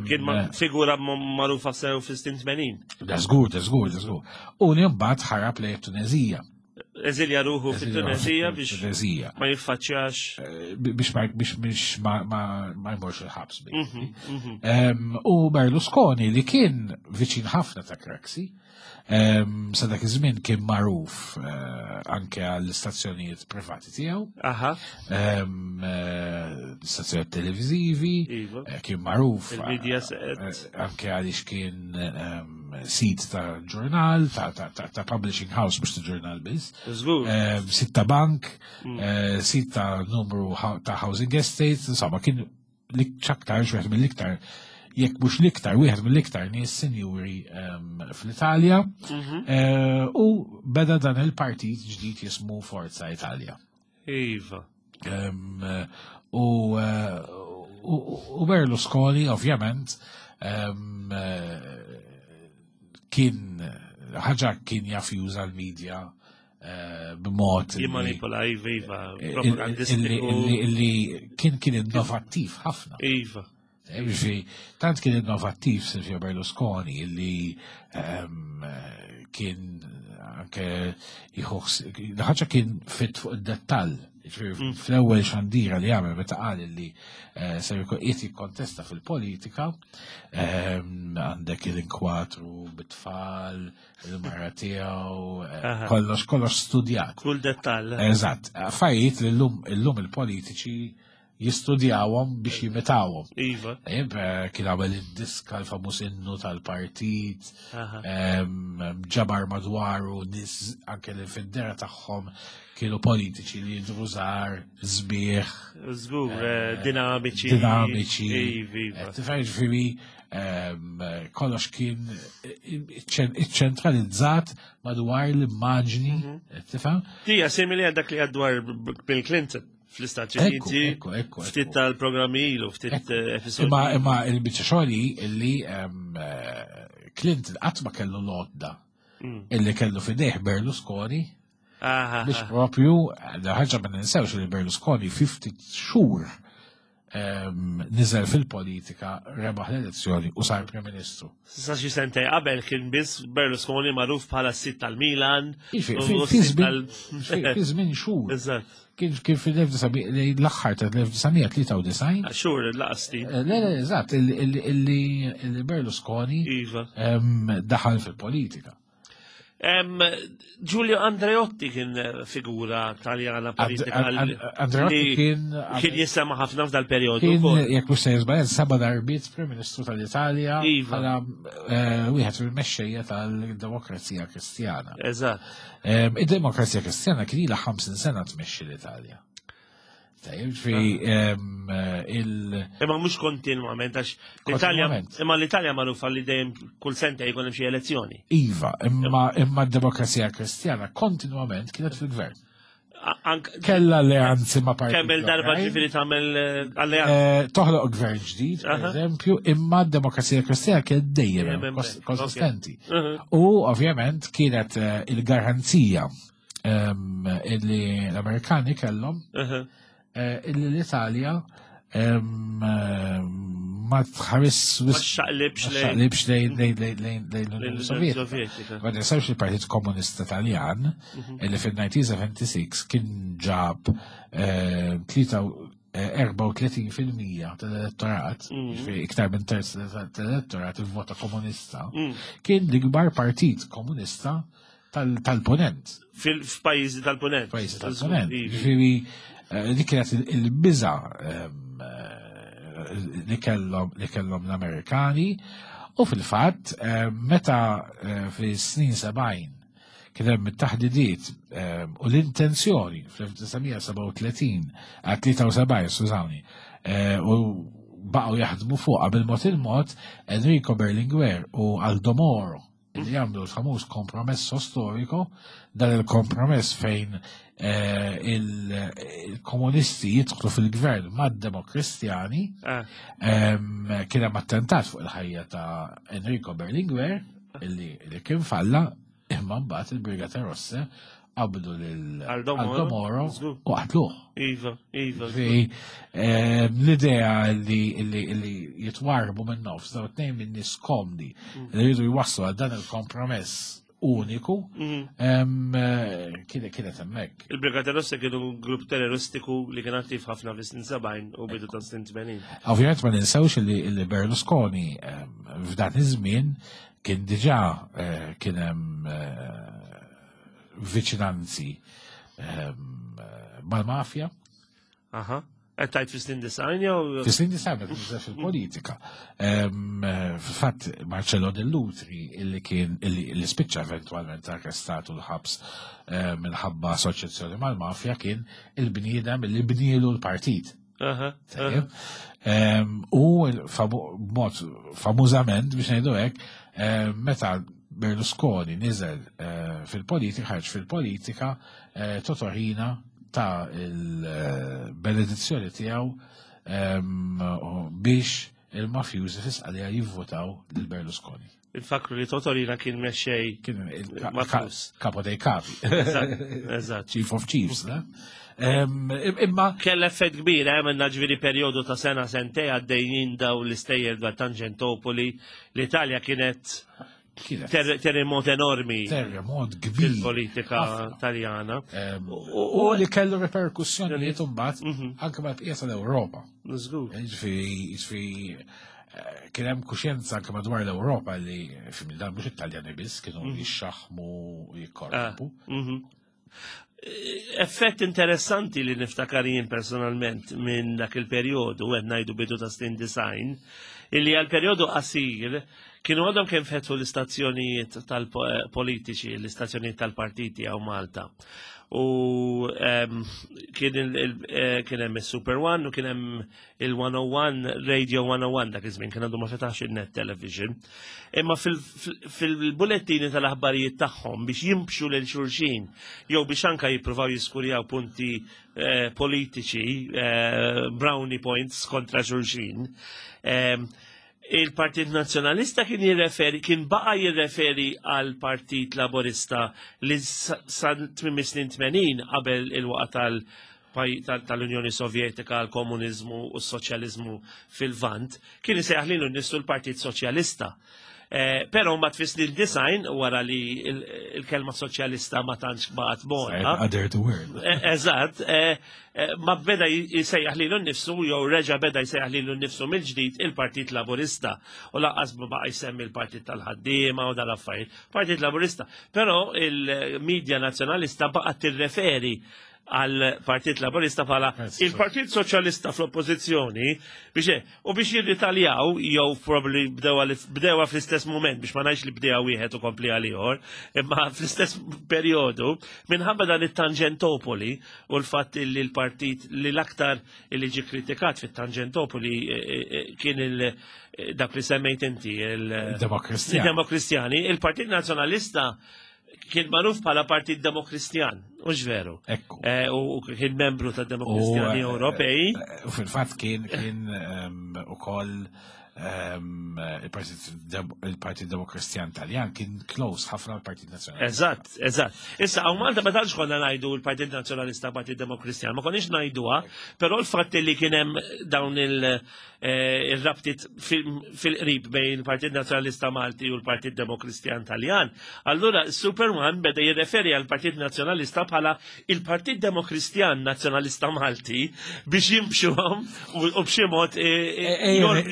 kien figura magħrufa sew fis-snin 80. Da żgur, da żgur, da żgur. U li mbagħad ħarab lejn Tunezija. Eżilja ruħu fit-Tunezija biex ma jiffaċċjax. Eh, biex ma biex biex ma ma jmorx il-ħabs. Mhm, mhm. U Berlusconi li kien viċin ħafna ta' Craxi, sa dak iż-żmien kien magħruf eh, anke għall-istazzjonijiet privati tiegħu. Aha. Eh, stazzjonijiet televiżivi, iva. kien magħruf anke għaliex kien sit ta' ġurnal, ta' publishing house, mux ta' ġurnal biss. Eh, sit ta' bank, mm. eh, sit ta' numru ta' housing estates, insomma, kien ċaktar wieħed mill-iktar jekk mhux l-iktar wieħed mill-iktar nies sinjuri ehm, fl-Italja mhm. eh, u beda dan il-partit ġdid jismu Forza Italia. Iva. Ehm, u, u Berlusconi ovvjament ehm, kien ħaġa kien jaf juża l-medja eh, b'mod. Jimmanipula, iva, iva, eh, propagandistiku. Illi kien kien innovattiv ħafna. Iva. Ġifieri, tant kien innovattiv Silvio Berlusconi illi ehm, kien anke ħaġa kien fit fuq id-dettall. Mm. Fl-ewwel xandira li għamel meta qal li eh, se qiegħed jikkontesta fil-politika, ehm, għandek il-inkwatru bit-tfal, il-mara tiegħu, eh, kollox kollox studjat. Kull dettall. Eżatt, affarijiet li llum il-politiċi jistudjawhom biex jimitawhom. Iva. Eh, kien għamel id-diska l-famuż innu tal-partit, ġabar madwaru nis anke li fid-dera tagħhom kienu politiċi li jidru żgħar, sbieħ. Żgur, eh, dinamiċi. Dinamiċi. Iva, iva. Eh, tifhem ġifieri kollox kien iċċentralizzat madwar l-immaġni, mhm. tifhem? Tija simili għal dak li għadwar Bill Clinton fl-Istati Uniti, ftit tal-programmi ilu, ftit eh, episodi. Imma imma il-biċċa xogħli illi eh, Clinton qatt ma kellu l-għodda mm. illi kellu fidejh Berlusconi biex propju, ħaġa ma ninsewx li Berlusconi 50 xhur niżel fil-politika, rebaħ l-elezzjoni u sar Prim Ministru. Sa xi sentej qabel kien biss Berlusconi magħruf bħala s-sit tal-Milan. Fi żmien xhur. Eżatt. Kien kien fil-l-aħħar tal-1993. Xhur laqasti. Eh, le, le, eżatt, illi Berlusconi iva. daħal fil-politika. Giulio Andreotti kien eh, figura taljana politika. Andreotti kien. Kien jisema ħafna f'dal periodu. Kien, jekk mhux se jiżbal, seba' darbiet Prim Ministru tal-Italja. Iva. Bħala eh, wieħed mill-mexxejja tal-Demokrazija Kristjana. Eżatt. Id-Demokrazija Kristjana kien ilha 50 sena tmexxi l-Italja. Tajjeb, fi il. Imma mhux kontinwament għax l-Italja imma l-Italja magħrufa li dejjem kull senta jkun hemm xi elezzjoni. Iva, imma imma d-demokrazija kristjana kontinwament kienet fil-gvern. Kella alleanzi ma' partiti. Kemm il-darba ġifieri tagħmel eh, alleanzi. Eh, toħloq gvern ġdid, per eżempju, imma d-Demokrazija Kristjana kienet dejjem konsistenti. U ovvjament kienet eh, il-garanzija ehm, illi l-Amerikani kellhom illi l-Italja ehm, ma tħares ma xaqlibx lejn l-Unjoni Sovjetika. Ma ninsawx il-Partit Komunista Taljan mhm. illi fil-1976 kien ġab 34% eh, tal-elettorat, mhm. iktar minn terz tal-elettorat il-vota komunista, mm. kien l-ikbar partit komunista tal-ponent. Fil-pajjiżi tal-ponent. Pajjiżi tal-ponent. Ġifieri eh, dik kienet il-biża ehm, eh, li kellhom li kellhom l-Amerikani u fil-fatt eh, meta fis-snin 70 kien hemm it-taħdidiet ehm, u l-intenzjoni fl-1937 73 skużawni u baqgħu jaħdmu fuqha bil-mod il-mod Enrico Berlinguer u Aldo Moro li jagħmlu l-famuż kompromesso storico, dan il-kompromess fejn eh, il-komunisti jidħlu fil-gvern mad-demokristjani, ah. kien hemm attentat fuq il-ħajja ta' Enrico Berlinguer, illi kien falla, imma mbagħad il-Brigata Rosse qabdu lil Aldo Moro u qatluh. Iva, iva. L-idea li jitwarbu minn nofs daw tnejn minn nies komdi mm. li jridu jwasslu għal dan il-kompromess uniku mm. eh, kienet hemmhekk. Il-Brigata Rossa kienu grupp terroristiku li kien attiv ħafna fis-snin 70 u bidu ta' snin 80. Ovvjament ma ninsewx li Berlusconi f'dan iż-żmien kien diġà eh, kien hemm eh, viċinanzi ehm, mal-mafja. Aha. Qed tgħid fis-snin design jew? Fis-snin design meta niżel fil-politika. Ehm, fatt Marcello Dell'Utri illi kien illi spiċċa eventwalment arrestat u l-ħabs ehm, minħabba assoċjazzjoni mal-mafja kien il-bniedem illi bnielu l-partit. U b'mod famużament biex ngħidu hekk, meta Berlusconi niżel eh, fil-politika, ħarġ fil-politika, eh, Totorina ta' il-benedizzjoni tiegħu biex il-mafjużi fisqalija jivvotaw lil Berlusconi. Infakru li Totorina kien mexxej kien kapo dei capi. Eżatt. Chief of Chiefs, ne? Imma kell effett kbir, eh, minna ġviri periodu ta' sena sentej għaddejjin daw l-istejjer dwar Tangentopoli, l-Italja kienet terremot enormi. Terremot kbir. Fil-politika taljana. U li kellu reperkussjonijiet imbagħad mhm. anke mal-bqija tal-Ewropa. Żgur. Ġifieri, ġifieri eh, kien hemm kuxjenza anke madwar l-Ewropa li fim dan mhux it-Taljani biss kienu mhm. jixxaħmu u jikkorrompu. Ah, mhm. Effett interessanti li niftakar jien personalment minn dak il-perjodu, qed ngħidu bidu ta' snin design, illi għal perjodu qasir kienu għadhom kemm fetħu l-istazzjonijiet tal-politiċi, l-istazzjonijiet tal-partiti għaw Malta. U kien eh, hemm is-Super One u kien hemm il-101, Radio 101 dak iż-żmien kien għandu ma fetax il-net television. Imma fil-bulettini tal-aħbarijiet tagħhom biex jimbxu lil xulxin jew biex anka jippruvaw jiskurjaw punti eh, politiċi, eh, brownie points kontra xulxin. Il-Partit Nazzjonalista kien jirreferi, kien baqa jirreferi għal Partit Laborista li sa tmiem snin 80 qabel il-waqa tal tal-Unjoni Sovjetika, l-komuniżmu u s-soċjaliżmu fil-Vant, kien isejjaħ lilu nnifsu l-Partit Soċjalista. Eh, però ma tfis li l-design wara li il-kelma soċjalista ma tantx baqgħet bona. Other the word. Eh, eżatt, eh, ma beda jsejjaħ lilu nnifsu jew reġa' beda jsejjaħ lilu nnifsu mill-ġdid il-Partit Laburista u lanqas ma baqa' jsemmi l-Partit tal-Ħaddiema u dal-affarijiet. Partit Laburista. Però il-medja nazzjonalista baqgħet tirreferi għal Partit Laburista bħala il-Partit Soċjalista fl-Oppożizzjoni biex u biex jirritaljaw jew probably bdewa fl-istess moment biex ma ngħidx li bdewa wieħed u kompli għal ieħor, imma fl-istess perjodu minħabba dan it-Tangentopoli u l-fatt li l-partit li l-aktar li ġi kritikat fit-Tangentopoli eh, eh, eh, kien il dak li semmejt inti il-Demokristjani. Il-Partit Nazzjonalista. Kien magħruf bħala Partit Demokristjan, hux veru. Ekku. Eh, u kien membru ta' Demokristjani eh, Ewropej. U fil-fatt kien kien ukoll il-Partit Demokristjan Taljan kien close ħafna l-Partit Nazzjonalista. Eżatt, eżatt. Issa, hawn Malta ma tantx konna ngħidu l-Partit Nazzjonalista Partit Demokristjan, ma konniex ngħiduha, però l-fatt li kien hemm dawn il-rabtiet fil-qrib bejn il-Partit Nazzjonalista Malti u l-Partit Demokristjan Taljan, allura Superman beda jirreferi għal Partit Nazzjonalista bħala il-Partit Demokristjan Nazzjonalista Malti biex jimxuhom u b'xi mod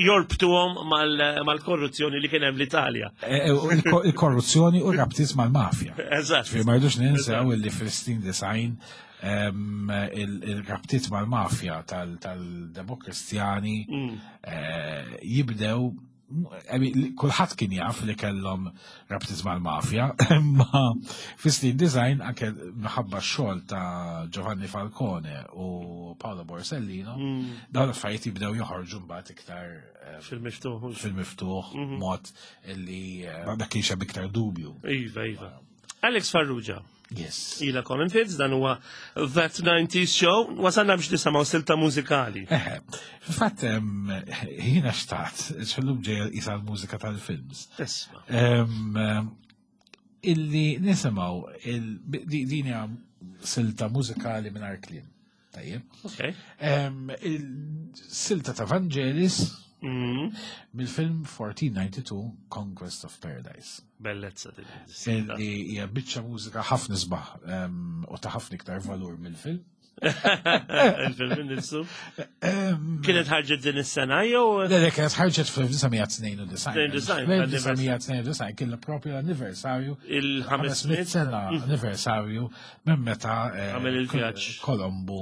jorbtuhom mal-korruzzjoni li kien hemm l-Italja. Il-korruzzjoni u rabtiet mal-mafja. Eżatt. Ma rridux ninsew illi fil-snin design il-rabtiet mal-mafja tal-Demokristjani jibdew kulħadd kien jaf li kellhom rabtiet mal-mafja, imma fis-snin design anke minħabba x-xogħol ta' Giovanni Falcone u Paolo Borsellino, dawn l-affarijiet jibdew joħorġu mbagħad iktar fil-miftuħ. Fil-miftuħ mod illi ma kienx hemm iktar dubju. Iva, iva. Alex Farrugia. Yes. Ila Common Fits, dan huwa That 90s Show, wasalna biex nisimgħu silta mużikali. Eħe, fil-fatt jiena xtaqt, xallum ġejja isa l-mużika tal-films. Isma. Illi nisimgħu din hija silta mużikali mingħajr kliem. Tajjeb. Okay. Il-silta ta' Vangelis mill-film 1492 Conquest of Paradise. Bellezza din. Illi hija biċċa mużika ħafna sbaħ u ta' ħafna iktar valur mill-film. Il-film nifsu. Kienet ħarġet din is-sena jew? Le, le, kienet ħarġet fl-1992. 1992 kien propju l-anniversarju. Il-500 sena anniversarju minn meta Għamel il-vjaġġ. Kolombu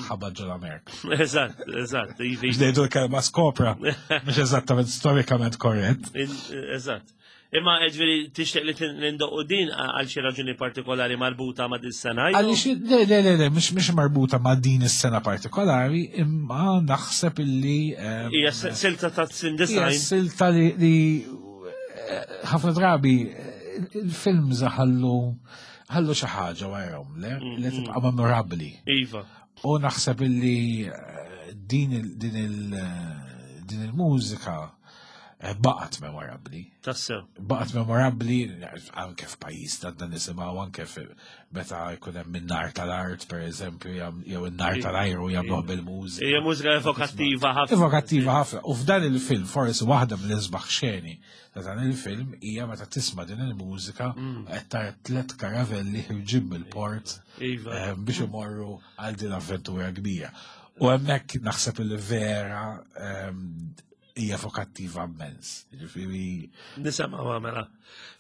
ħabat ġol Amerika. Eżatt, eżatt. Biex ngħidu l-kelma skopra, mhux eżattament storikament korrett. Eżatt. Imma ġifieri tixtieq li nindoqqu din għal xi raġuni partikolari marbuta ma' din sena Għaliex le le le le mhux marbuta ma' din is-sena partikolari, imma naħseb illi hija silta ta' sin Hija silta li ħafna drabi il-films ħallu ħallu xi ħaġa warahom, le li tibqa' memorabbli. Iva. U naħseb illi din din il-mużika baqgħet memorabbli. Tassew. Baqgħet memorabbli anke f'pajjiż ta' dan nisimgħu anke meta jkun hemm in-nar tal-art pereżempju jew in-nar tal-ajru jagħmluh bil-mużika. Hija mużika evokattiva ħafna. Evokattiva ħafna. U f'dan il-film forsi waħda mill-isbaħ xeni ta' dan il-film hija meta tisma' din il-mużika qed tara tliet karavelli ħirġin mill-port biex imorru għal din avventura kbira. U hemmhekk naħseb il vera hija evokattiva immens. Ġifieri Nisimgħu mela.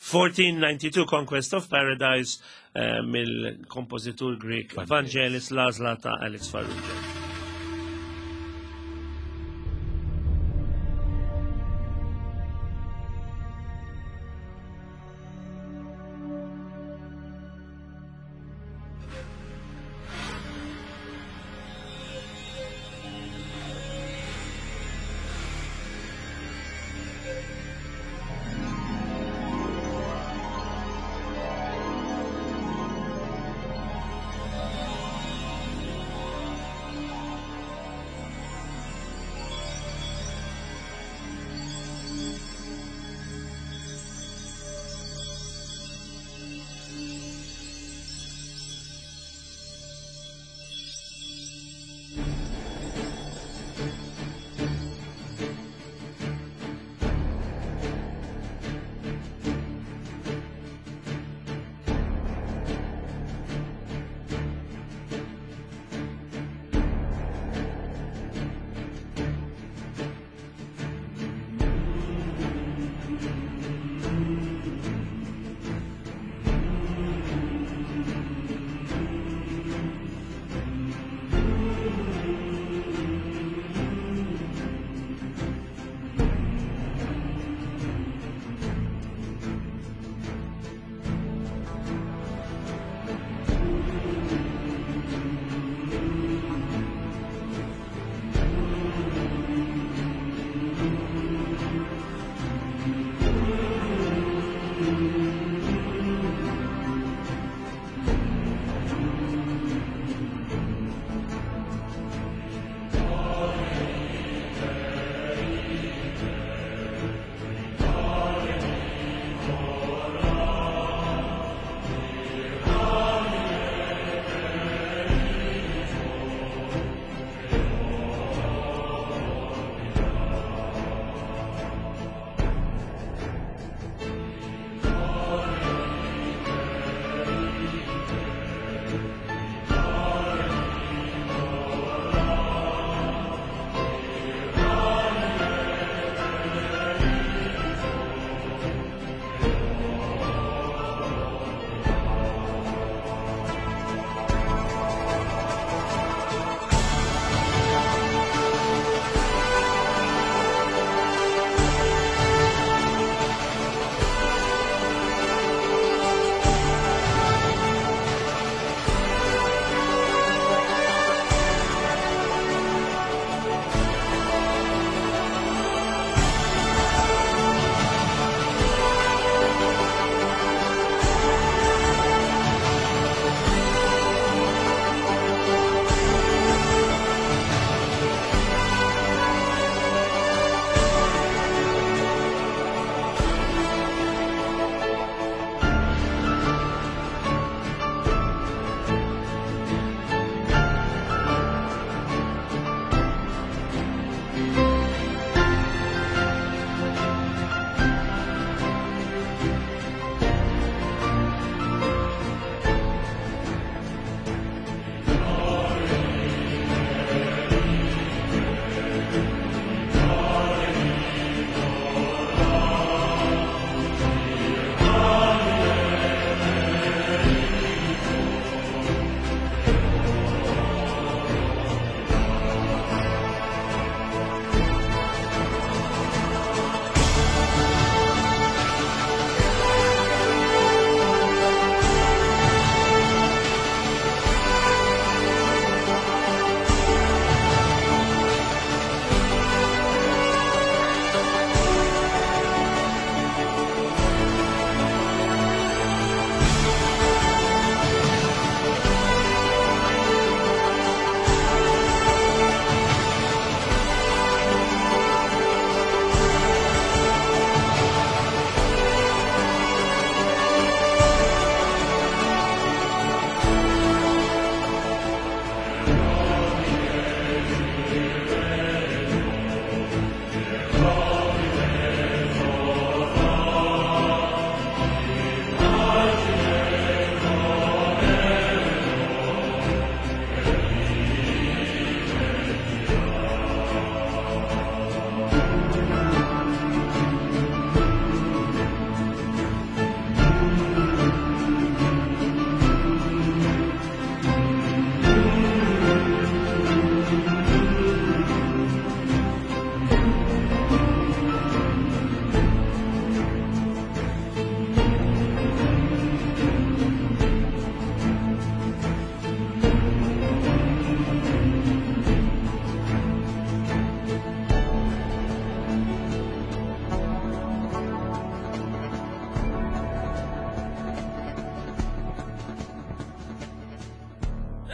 1492 Conquest of Paradise mill-kompożitur Greek Vangelis l-għażla ta' Alex Farrugia.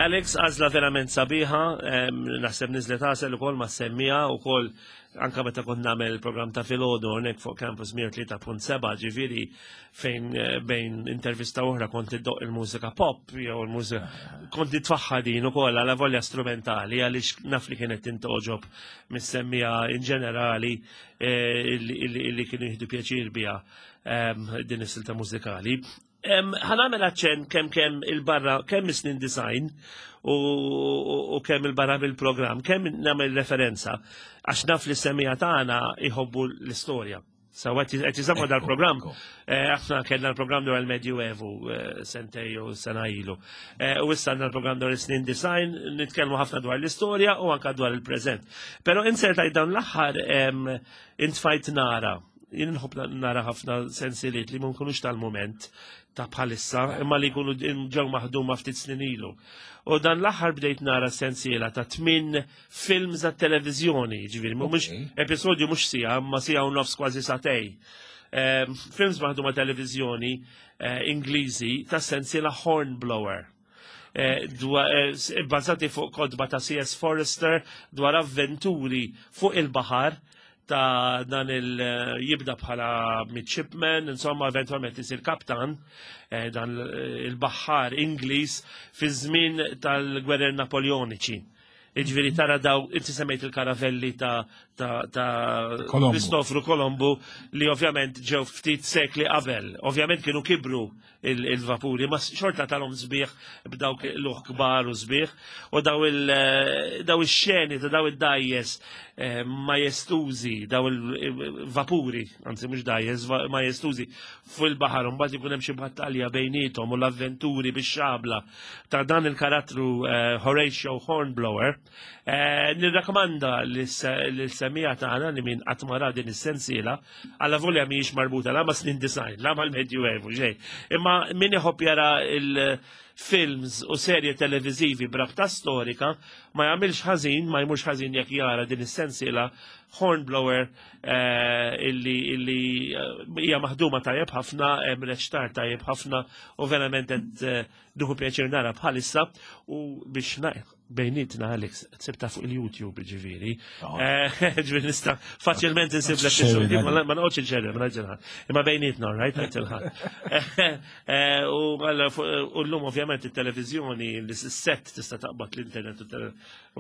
Alex, għażla verament sabiħa, naħseb niżlet għasel ukoll ma' semmija ukoll anka meta kont nagħmel il-programm ta' filgħodu hawnhekk fuq Campus 103.7 ġifieri fejn eh, bejn intervista oħra kont iddoq il-mużika pop jew il-mużika kont nitfaħħa din ukoll għala volja strumentali għaliex naf li kienet tintoġob mis-semmija in ġenerali eh, illi kienu jieħdu pjaċir biha din is-silta mużikali. Ħanamel aċċenn kemm kemm il-barra, kemm is-snin design u kemm il-barra mill-programm, kemm nagħmel referenza għax naf li semija tagħna jħobbu l-istorja. Sawa qed jiżammu dal-programm, eh, aħna kellna l-programm dwar il-Medjuevu eh, sentej u sena ilu. Eh, u issa għandna l-programm dwar is-snin design, nitkellmu ħafna dwar l-istorja u anka dwar il-preżent. Però insertajt dawn l-aħħar intfajt nara jien nħobb nara ħafna sensiliet li ma nkunux tal-moment ta' bħalissa, imma li jkunu ġew maħduma ftit snin ilu. U dan l-aħħar bdejt nara sensiela ta' tmin films ta' televiżjoni, ġifieri, mhux episodju mhux sija, ma sija u nofs kważi satej. Ehm, films maħduma televiżjoni eh, Ingliżi ta' sensiela Hornblower. Eh, eh, bbażati fuq kodba ta' C.S. Forrester dwar avventuri fuq il-baħar ta' dan il eh, jibda bħala midshipman, insomma eventualment isir kaptan dan il-baħar Ingliż fi żmien tal-gwerer Napoleoniċi. Iġviri tara daw, inti semmejt il-karavelli ta' ta' ta' Kristofru Kolombu li ovvjament ġew ftit sekli qabel. Ovvjament kienu kibru il-vapuri, ma xorta talhom sbieħ b'dawk l-uħ kbar u sbieħ u daw eh, il-xeni ta' daw id-dajjes eh, majestużi, daw il-vapuri, anzi mhux dajjes, majestużi fuq il-baħar, mbagħad ikun hemm xi battalja bejniethom u l-avventuri bix-xabla ta' dan il-karattru eh, Horatio Hornblower, eh, nirrakkomanda l-semija tagħna li min qatt ma din is-sensiela, għalla volja mhijiex marbuta la ma' snin design, la mal-Medjuevu xejn. Imma min iħobb jara il-films u serje televiżivi brabta storika ma jagħmilx ħażin, ma jmurx ħażin jekk jara din is-sensiela Hornblower eh, illi illi eh, hija maħduma tajjeb ħafna, hemm reċtar tajjeb ħafna u verament qed eh, nieħu pjaċir nara bħalissa u biex bejnietna Alex tsibta fuq il-YouTube ġifieri. Oh. Ġifieri nista' faċilment insib l-episodju, ma noqgħodx inxerri, ma ngħidx Imma bejnietna, right, ngħid il-ħadd. U llum ovvjament it-televiżjoni, l-set tista' taqbad l-internet u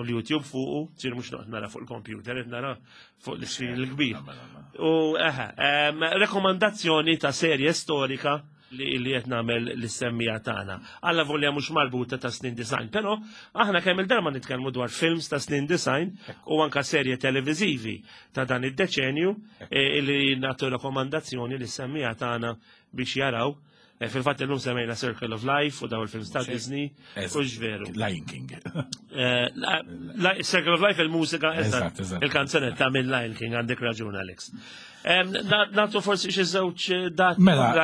l-YouTube fuqu, ġifieri mhux noqgħod nara fuq il-computer, qed nara fuq l-iscreen il-kbir. Mela, mela. U eħe, rekomandazzjoni ta' serje storika li li qed nagħmel lis-semmija tagħna. Alla volja mhux marbuta ta' snin design, però aħna kemm il-darba nitkellmu dwar films ta' snin design u anka serje televiżivi ta' dan id-deċenju eh, li nagħtu rekomandazzjoni lis-semmija tagħna biex jaraw. Eh, fil-fatt illum semmejna Circle of Life u daw il-films ta' Disney, u veru. Lion King. Eh, Circle of Life il-mużika, il-kanzunetta minn Lion King, għandek raġun Alex. Natu forsi xi żewġ dati. Mela,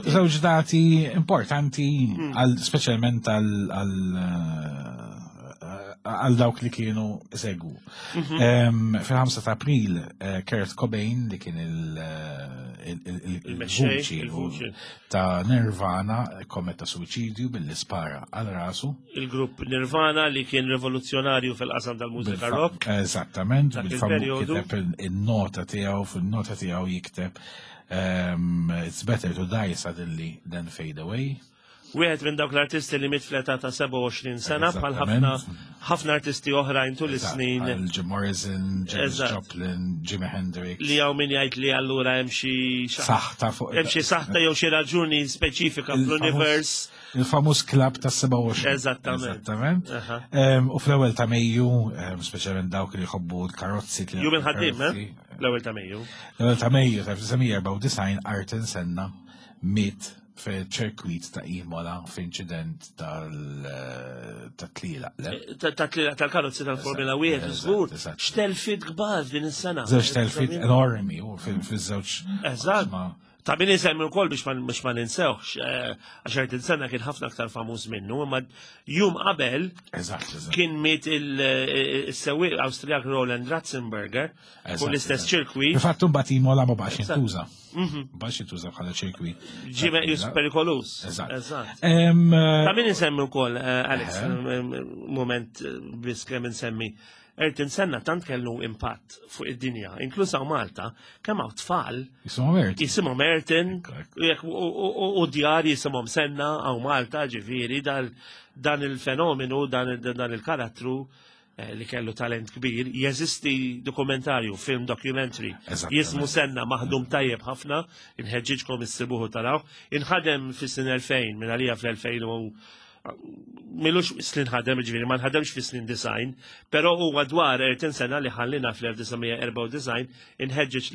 żewġ dati importanti, hmm. speċjalment għal għal dawk li kienu segwu. Mhm. Fil-5 ta' April, eh, Kurt Cobain li kien il-vuċi ta' Nirvana kommetta suicidju billi spara għal rasu. Il-grupp Nirvana li kien rivoluzzjonarju fil-qasam tal-mużika rock. Eżattament, bil-famu kiteb il-nota tiegħu, fil-nota tiegħu jikteb It's better to die suddenly than fade away. Wieħed minn dawk l-artisti li miet fl-età ta' 27 sena bħal ħafna ħafna artisti oħrajn tul is-snin. Jim Morrison, Janis Joplin, Jimi Hendrix. Li hawn min jgħid li allura hemm xi saħta fuq. Hemm xi saħta jew xi raġuni speċifika fl-univers. Il-famuż klabb ta' 27. Eżattament. Eżattament. U fl-ewwel ta' Mejju, speċjalment dawk li jħobbu l-karozzi. Jum il-ħaddiem, eh? L-ewwel ta' Mejju. L-ewwel ta' Mejju ta' 1994 Arten Senna miet f'ċirkwit ta' Imola f'inċident tal-tlila. Ta' tlila tal-karozzi tal-Formula 1, żgur. X'telfit kbar din is-sena. Żewġ telfit enormi u fiż-żewġ. Eżatt. Ta' min insemmi wkoll biex ma ninsewx, eh, għax Ayrton Senna kien ħafna aktar famuż minnu, imma jum qabel kien miet il-sewwieq Awstrijak Roland Ratzenberger fuq l-istess ċirkwit. Infatti mbagħad Imola ma baqax jintuża. Mhm. Baqax jintuża bħala ċirkwit. Ġie meqjus perikolus. Eżatt. Ta' min insemmi wkoll, eh, Alex, moment biss kemm insemmi. Ayrton Senna tant kellu impatt fuq id-dinja, inkluż hawn Malta, kemm hawn tfal jisimhom Ayrton. Jisimhom Ayrton u djar jisimhom Senna hawn Malta, ġifieri dan il-fenomenu, dan il-karattru eh, li kellu talent kbir, jeżisti dokumentarju, film documentary, jismu Senna maħdum tajjeb ħafna, inħeġġiġkom issibuħu taraw, inħadem fis-sin 2000, minn għalija fl-2000 milux snin ħadem, ġviri, ma nħademx fi snin design, pero huwa dwar 40 sena li ħallina fl-1994 inħeġġeġ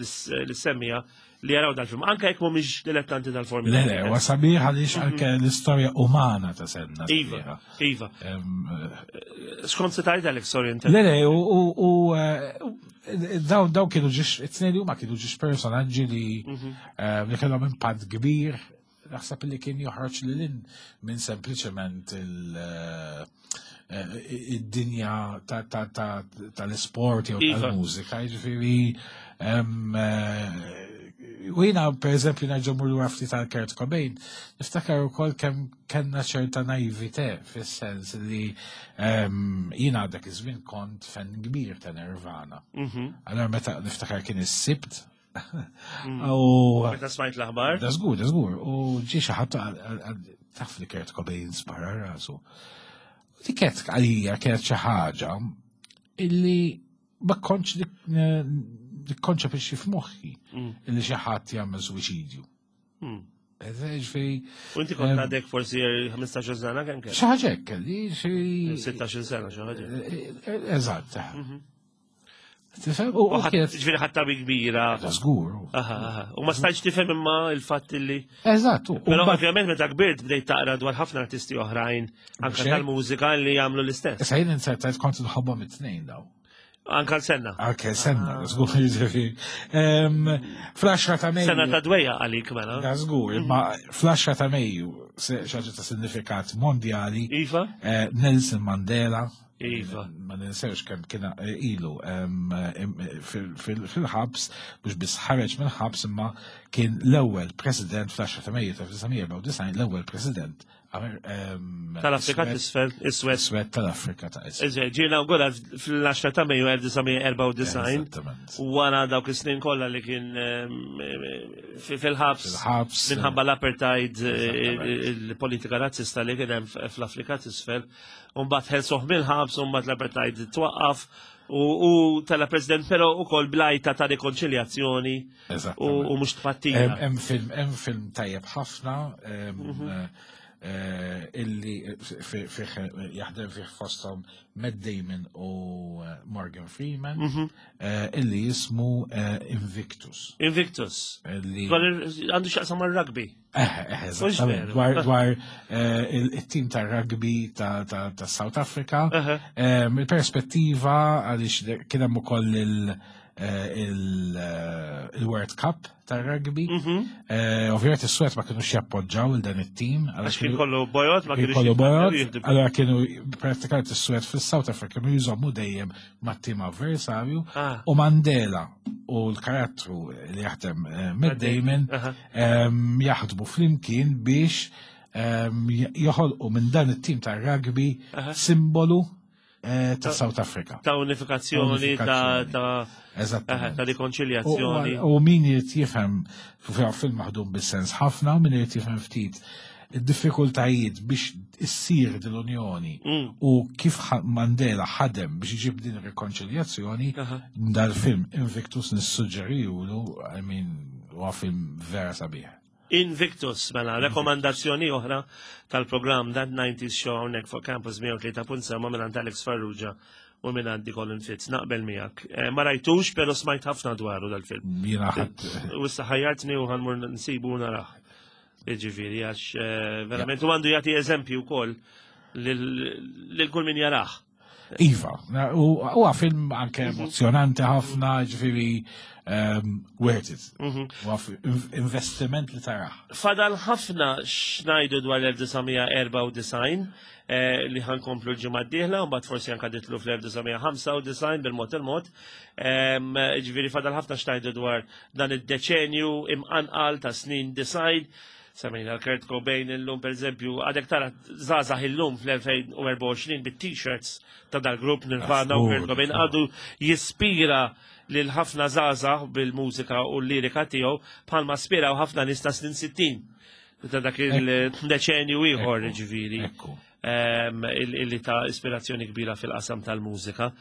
l-semmija li jaraw dal-film, anka jekk mhumiex dilettanti tal-Formula. Le, le, huwa sabiħ għaliex mhm. anke l-istorja umana ta' Senna. Iva, iva. Eh, skont se tajt Alex, sorry. Le, le, u eh, dawn dawn kienu ġiex, it-tnejn li huma kienu ġiex personaġġi li mhm. eh, li kellhom impatt kbir Naħseb li kien joħroġ lil hinn minn sempliċement eh, id-dinja tal-isport jew iva. tal-mużika, jiġifieri eh, u jiena per eżempju nerġa' mmur lura ftit għal Kurt Cobain, niftakar ukoll kemm kellna ċerta naivite fis-sens li jiena dak iż-żmien kont fan kbir ta' Nirvana. Mhm. Allora meta niftakar kien is-Sibt Mm. U meta smajt l-aħbar? Da żgur, da żgur. U ġie xi ħadd taf li Kurt Cobain spara rasu. Di kienet għalija kienet xi ħaġa illi ma kontx nikkonċepixxi f'moħħi mm. illi xi ħadd jagħmel suwiċidju. Mm. Ġifieri. U inti kont għadek forsi 15 sena kemm kelli? Xi ħaġa hekk kelli, xi 16 sena xi ħaġa. Eh, eh, eżatt. Mhm. Tifhem? U kienet. Ġifieri ħadd bi kbira. Żgur. U ma stajtx tifhem imma il-fatt li. Eżatt. Però ovvjament meta kbirt bdejt taqra dwar ħafna artisti oħrajn anke tal-mużika li jagħmlu l-istess. Issa jien insertajt kont nħobbhom it-tnejn daw. Anka l-senna. Anke l-senna, ah. żgur jiġifieri. Fl-10 ta' Mejju. Sena ta' dwejja għalik mela. Da żgur, imma fl-10 ta' Mejju xaġa ta' sinifikat mondjali. Iva. Eh, Nelson Mandela. Iva. Ma ninsewx kemm kien eh, ilu fil-ħabs, mhux biss ħareġ mill-ħabs imma kien l-ewwel president fl-10 ta' Mejju ta' 1994 l-ewwel president Tal-Afrika t'isfel, iswed. Iswed tal-Afrika ta' isfel. Ġie inawgurat fl-10 ta' Mejju 1994. Wara dawk is-snin kollha li kien fil-ħabs. Fil-ħabs. Minħabba l-apartheid, eh, il-politika razzista li kien hemm fl-Afrika t'isfel. Umbagħad ħelsuh mill-ħabs, umbagħad l-apartheid twaqqaf u tala president però ukoll blajta ta' rikonċiljazzjoni u mhux tpattija. Hemm film hemm film tajjeb ħafna mhm. eh, illi fih jaħdem fih fosthom Matt Damon u eh, Morgan Freeman mhm. eh, illi jismu Invictus. Invictus. Għandu xaqsam mar-rugby. Eżattament, dwar il-tim ta' rugby ta' South Africa, il-perspettiva għaliex kien hemm ukoll il-World Cup ta' rugby. Mhm. Ovvjament is-Swed ma kienux jappoġġaw il dan it-tim. Għax kien kollu bojot, ma kienux kollu bojot. Allora kienu pratikament is-Swed fis-South Africa kienu jżommu dejjem mat-tim avversarju ah. u Mandela u l-karattru li jaħdem eh, Matt Damon jaħdmu flimkien biex joħolqu minn dan it-tim ta' rugby simbolu eh, ta' South Africa. Ta' unifikazzjoni, ta' ta' rikonċiljazzjoni. U min irid jifhem film maħdum bis-sens ħafna, u min irid jifhem ftit id-diffikultajiet biex issir din l-unjoni mm. u kif Mandela ħadem biex iġib din ir-rikonċiljazzjoni dal-film Invictus nissuġġerijulu, I mean, huwa film vera sabiħ. Invictus, mela, rekomandazzjoni oħra tal-programm That 90s Show hawnhekk fuq Campus 103.7 minn Alex Farrugia u minn għandi Colin Fitz, naqbel miegħek. Eh, ma rajtux, pero smajt ħafna dwaru dal-film. Jiena ħadd. U issa ħajjartni u ħanmur nsibu naraħ. Ġifieri għax eh, verament u għandu jagħti eżempju wkoll lil kull min jarah. Iva, u film anke mhm. emozjonanti ħafna, ġifieri. Worth it. Investiment li taraħ. Fadal ħafna x'ngħidu dwar l-1994 eh, li ħankomplu l-ġimgħa d-dieħla u mbagħad forsi anke ditlu fl-1995 bil-mod il-mod. Ġifieri fadal ħafna x'ngħidu dwar dan id-deċenju imqanqal ta' snin design. Semmejna l-Kurt Cobain illum per eżempju, għadek tara żgħażagħ illum fl-2024 bit-t-shirts ta' dal-grupp Nirvana u Kurt Cobain għadu jispira lil ħafna żgħażagħ bil-mużika u l-lirika tiegħu bħalma spiraw ħafna nies ta' snin 60 ta' dak il-deċenju ieħor ġifieri. Illi ta' ispirazzjoni kbira fil-qasam tal-mużika.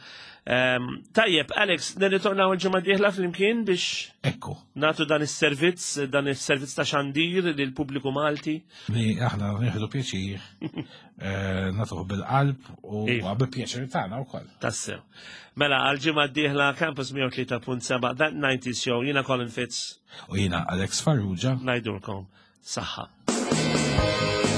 Tajjeb, Alex, nirritornaw il-ġimgħa dieħla flimkien biex Ekku. Natu dan is-servizz, dan is-servizz ta' xandir lil pubbliku Malti. Li aħna nieħdu pjaċir, eh, natuh bil-qalb u iva. bi pjaċir tagħna wkoll. Tassew. Mela għal-ġimgħa d-dieħla Campus 103.7 That 90s Show, jiena Colin Fitz. U jiena Alex Farrugia. Ngħidulkom saħħa.